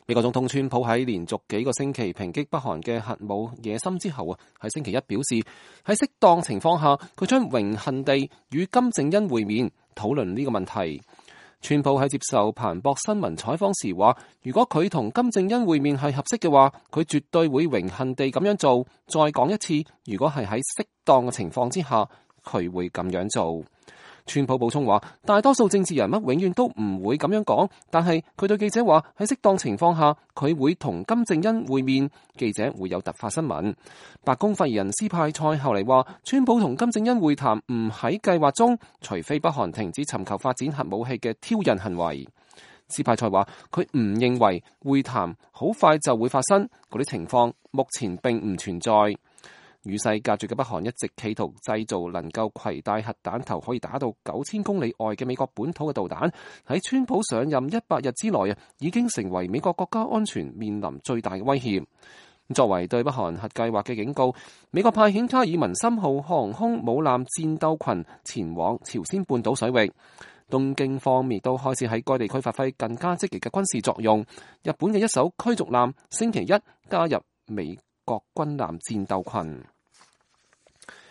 美國總統川普喺連續幾個星期抨擊北韓嘅核武野心之後喺星期一表示，喺適當情況下，佢將榮幸地與金正恩會面，討論呢個問題。川普喺接受彭博新聞採訪時話，如果佢同金正恩會面係合適嘅話，佢絕對會榮幸地咁樣做。再講一次，如果係喺適當嘅情況之下，佢會咁樣做。川普補充話，大多數政治人物永遠都唔會咁樣講，但係佢對記者話，喺適當情況下，佢會同金正恩會面，記者會有突發新聞。白宮發言人斯派塞後嚟話，川普同金正恩會談唔喺計劃中，除非北韓停止尋求發展核武器嘅挑釁行為。斯派塞話，佢唔認為會談好快就會發生，嗰啲情況目前並唔存在。與世隔絕嘅北韓一直企圖製造能夠攜帶核彈頭可以打到9000公里外嘅美國本土嘅導彈，喺川普上任100日之內已經成為美國國家安全面臨最大嘅威脅。作為對北韓核計劃嘅警告，美國派遣卡爾文森號航空母艦戰鬥群前往朝鮮半島水域。東京方面都開始喺該地區發揮更加積極嘅軍事作用。日本嘅一艘驅逐艦星期一加入美國軍艦戰鬥群。